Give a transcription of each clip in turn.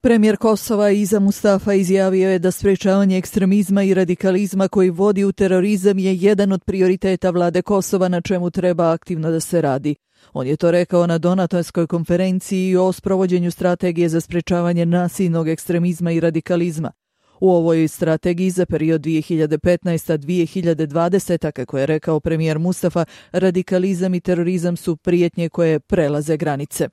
Premijer Kosova Iza Mustafa izjavio je da sprečavanje ekstremizma i radikalizma koji vodi u terorizam je jedan od prioriteta vlade Kosova na čemu treba aktivno da se radi. On je to rekao na donatorskoj konferenciji o sprovođenju strategije za sprečavanje nasilnog ekstremizma i radikalizma. U ovoj strategiji za period 2015-2020, kako je rekao premijer Mustafa, radikalizam i terorizam su prijetnje koje prelaze granice.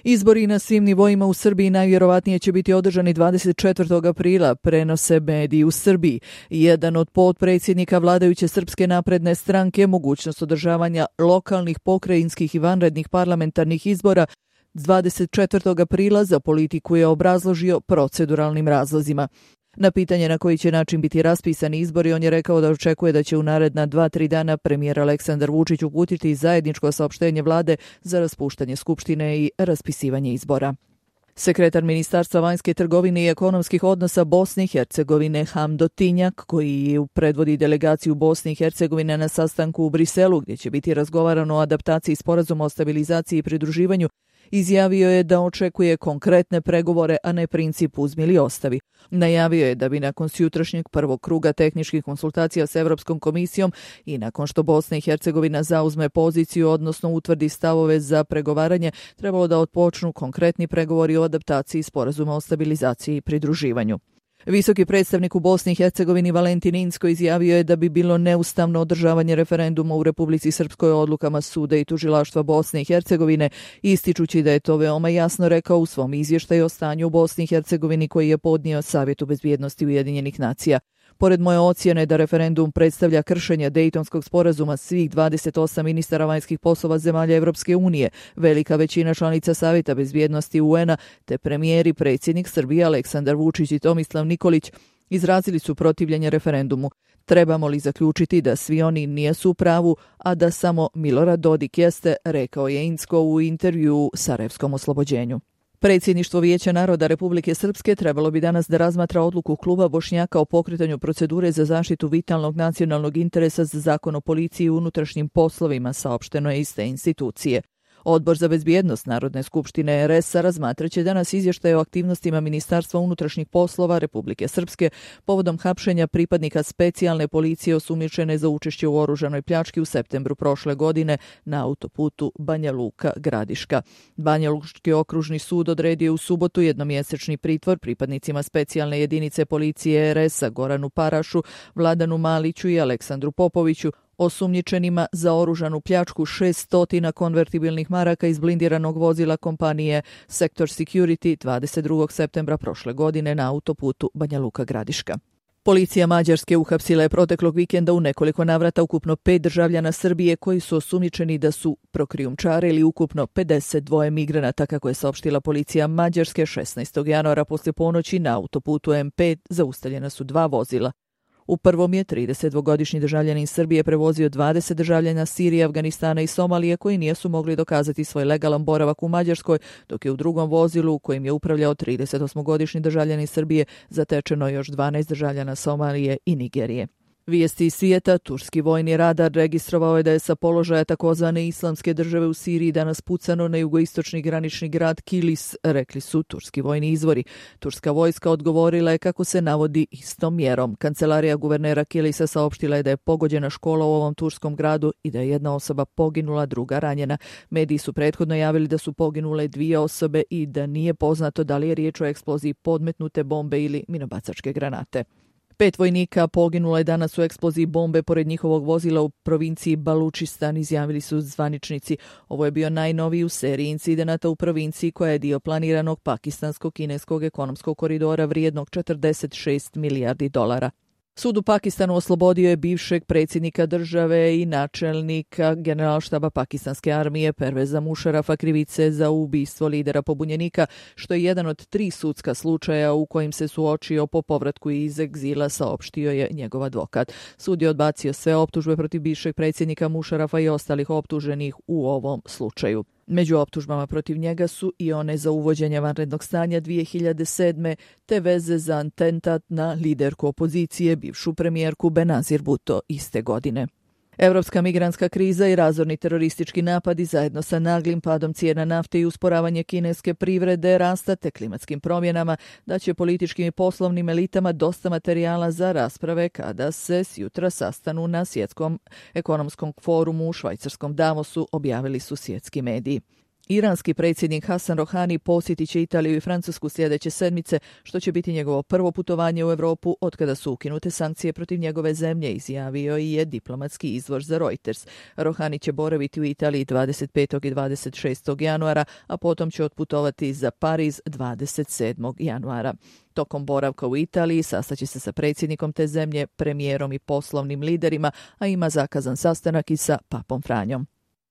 Izbori na svim nivoima u Srbiji najvjerovatnije će biti održani 24. aprila, prenose mediji u Srbiji. Jedan od potpredsjednika vladajuće Srpske napredne stranke mogućnost održavanja lokalnih, pokrajinskih i vanrednih parlamentarnih izbora 24. aprila za politiku je obrazložio proceduralnim razlozima. Na pitanje na koji će način biti raspisani izbori, on je rekao da očekuje da će u naredna 2-3 dana premijer Aleksandar Vučić uputiti zajedničko saopštenje vlade za raspuštanje Skupštine i raspisivanje izbora. Sekretar Ministarstva vanjske trgovine i ekonomskih odnosa Bosne i Hercegovine Hamdo Tinjak, koji predvodi delegaciju Bosne i Hercegovine na sastanku u Briselu, gdje će biti razgovarano o adaptaciji sporazuma o stabilizaciji i pridruživanju, izjavio je da očekuje konkretne pregovore, a ne princip uzmi ili ostavi. Najavio je da bi nakon sutrašnjeg prvog kruga tehničkih konsultacija s Evropskom komisijom i nakon što Bosna i Hercegovina zauzme poziciju, odnosno utvrdi stavove za pregovaranje, trebalo da otpočnu konkretni pregovori o adaptaciji sporazuma o stabilizaciji i pridruživanju. Visoki predstavnik u Bosni i Hercegovini Valentin Inzko izjavio je da bi bilo neustavno održavanje referenduma u Republici Srpskoj odlukama suda i tužilaštva Bosne i Hercegovine, ističući da je to veoma jasno rekao u svom izvještaju o stanju u Bosni i Hercegovini koji je podnio Savjetu bezbjednosti Ujedinjenih nacija. Pored moje ocjene da referendum predstavlja kršenje Dejtonskog sporazuma svih 28 ministara vanjskih poslova zemalja Evropske unije, velika većina članica Savjeta bezbjednosti UN-a, te premijer i predsjednik Srbije Aleksandar Vučić i Tomislav Nikolić izrazili su protivljenje referendumu. Trebamo li zaključiti da svi oni nisu u pravu, a da samo Milorad Dodik jeste, rekao je Inzko u intervjuu Sarajevskom oslobođenju. Predsjedništvo Vijeća naroda Republike Srpske trebalo bi danas da razmatra odluku kluba Bošnjaka o pokretanju procedure za zaštitu vitalnog nacionalnog interesa za zakon o policiji i unutrašnjim poslovima, saopšteno je iz te institucije. Odbor za bezbjednost Narodne skupštine RS-a razmatraće danas izvještaj o aktivnostima Ministarstva unutrašnjih poslova Republike Srpske povodom hapšenja pripadnika specijalne policije osumnjičene za učešće u oružanoj pljački u septembru prošle godine na autoputu Banja Luka-Gradiška. Banja Lučki okružni sud odredio u subotu jednomjesečni pritvor pripadnicima specijalne jedinice policije RS-a Goranu Parašu, Vladanu Maliću i Aleksandru Popoviću, osumnjičenima za oružanu pljačku 600 konvertibilnih maraka iz blindiranog vozila kompanije Sector Security 22. septembra prošle godine na autoputu Banja Luka-Gradiška. Policija Mađarske uhapsila je proteklog vikenda u nekoliko navrata ukupno 5 državljana Srbije koji su osumnjičeni da su prokrijumčarili ukupno 52 migranata, kako je saopštila policija Mađarske 16. januara poslije ponoći na autoputu M5 zaustavljena su 2 vozila. U prvom je 32-godišnji državljanin Srbije prevozio 20 državljana Sirije, Afganistana i Somalije koji nisu mogli dokazati svoj legalan boravak u Mađarskoj, dok je u drugom vozilu kojim je upravljao 38-godišnji državljanin Srbije zatečeno još 12 državljana Somalije i Nigerije. Vijesti iz svijeta, turski vojni radar registrovao je da je sa položaja takozvane islamske države u Siriji danas pucano na jugoistočni granični grad Kilis, rekli su turski vojni izvori. Turska vojska odgovorila je kako se navodi istom mjerom. Kancelarija guvernera Kilisa saopštila je da je pogođena škola u ovom turskom gradu i da je jedna osoba poginula, druga ranjena. Mediji su prethodno javili da su poginule 2 osobe i da nije poznato da li je riječ o eksploziji podmetnute bombe ili minobacačke granate. 5 vojnika poginulo je danas u eksploziji bombe pored njihovog vozila u provinciji Balučistan, izjavili su zvaničnici. Ovo je bio najnoviji u seriji incidenata u provinciji koja je dio planiranog pakistansko-kineskog ekonomskog koridora vrijednog 46 milijardi dolara. Sud u Pakistanu oslobodio je bivšeg predsjednika države i načelnika generalštaba pakistanske armije Perveza Mušarafa krivice za ubistvo lidera pobunjenika, što je jedan od 3 sudska slučaja u kojim se suočio po povratku iz egzila, saopštio je njegov advokat. Sud je odbacio sve optužbe protiv bivšeg predsjednika Mušarafa i ostalih optuženih u ovom slučaju. Među optužbama protiv njega su i one za uvođenje vanrednog stanja 2007. te veze za atentat na liderku opozicije, bivšu premijerku Benazir Bhutto iste godine. Europska migrantska kriza i razorni teroristički napadi zajedno sa naglim padom cijena nafte i usporavanje kineske privrede, rasta te klimatskim promjenama da će političkim i poslovnim elitama dosta materijala za rasprave kada se sjutra sastanu na svjetskom ekonomskom forumu u švajcarskom Davosu, objavili su svjetski mediji. Iranski predsjednik Hasan Rohani posjetit će Italiju i Francusku sljedeće sedmice, što će biti njegovo prvo putovanje u Europu otkada su ukinute sankcije protiv njegove zemlje, izjavio i je diplomatski izvor za Reuters. Rohani će boraviti u Italiji 25. i 26. januara, a potom će otputovati za Pariz 27. januara. Tokom boravka u Italiji sastaće se sa predsjednikom te zemlje, premijerom i poslovnim liderima, a ima zakazan sastanak i sa Papom Franjom.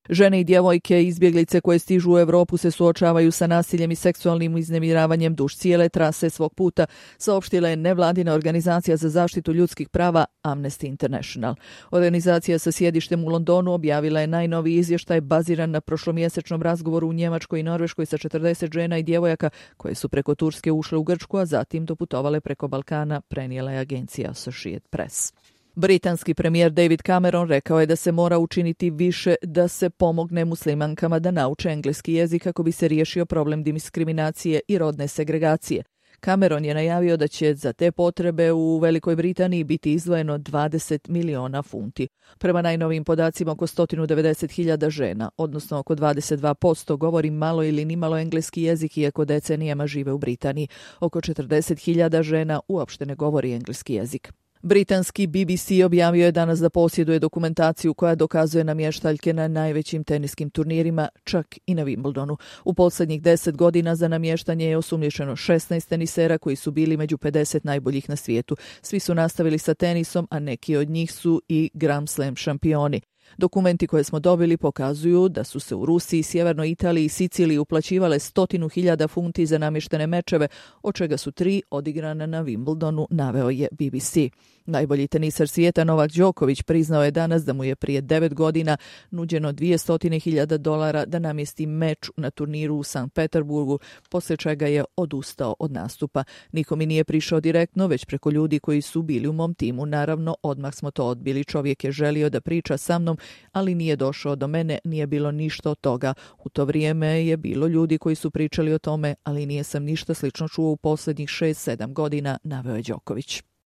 Žene i djevojke izbjeglice koje stižu u Europu se suočavaju sa nasiljem i seksualnim uznemiravanjem duž cijele trase svog puta, saopštila je nevladina organizacija za zaštitu ljudskih prava Amnesty International. Organizacija sa sjedištem u Londonu objavila je najnoviji izvještaj baziran na prošlomjesečnom razgovoru u Njemačkoj i Norveškoj sa 40 žena i djevojaka koje su preko Turske ušle u Grčku, a zatim doputovale preko Balkana, prenijela je agencija Associated Press. Britanski premijer David Cameron rekao je da se mora učiniti više da se pomogne muslimankama da nauče engleski jezik kako bi se riješio problem diskriminacije i rodne segregacije. Cameron je najavio da će za te potrebe u Velikoj Britaniji biti izdvojeno 20 miliona funti. Prema najnovijim podacima, oko 190.000 žena, odnosno oko 22%, govori malo ili nimalo engleski jezik, iako decenijama žive u Britaniji. Oko 40.000 žena uopšte ne govori engleski jezik. Britanski BBC objavio je danas da posjeduje dokumentaciju koja dokazuje namještaljke na najvećim teniskim turnirima, čak i na Wimbledonu. U posljednjih 10 godina za namještanje je osumnjičeno 16 tenisera koji su bili među 50 najboljih na svijetu. Svi su nastavili sa tenisom, a neki od njih su i Grand Slam šampioni. Dokumenti koje smo dobili pokazuju da su se u Rusiji, Sjevernoj Italiji i Siciliji uplaćivale 100.000 funti za namještene mečeve, od čega su 3 odigrana na Wimbledonu, naveo je BBC. Najbolji tenisar svijeta Novak Đoković priznao je danas da mu je prije 9 godina nuđeno $200.000 da namjesti meč na turniru u Sankt Peterburgu, poslije čega je odustao od nastupa. Niko mi nije prišao direktno, već preko ljudi koji su bili u mom timu. Naravno, odmah smo to odbili. Čovjek je želio da priča sa mnom, ali nije došao do mene, nije bilo ništa od toga. U to vrijeme je bilo ljudi koji su pričali o tome, ali nije sam ništa slično čuo u posljednjih 6-7 godina, naveo je Đoković.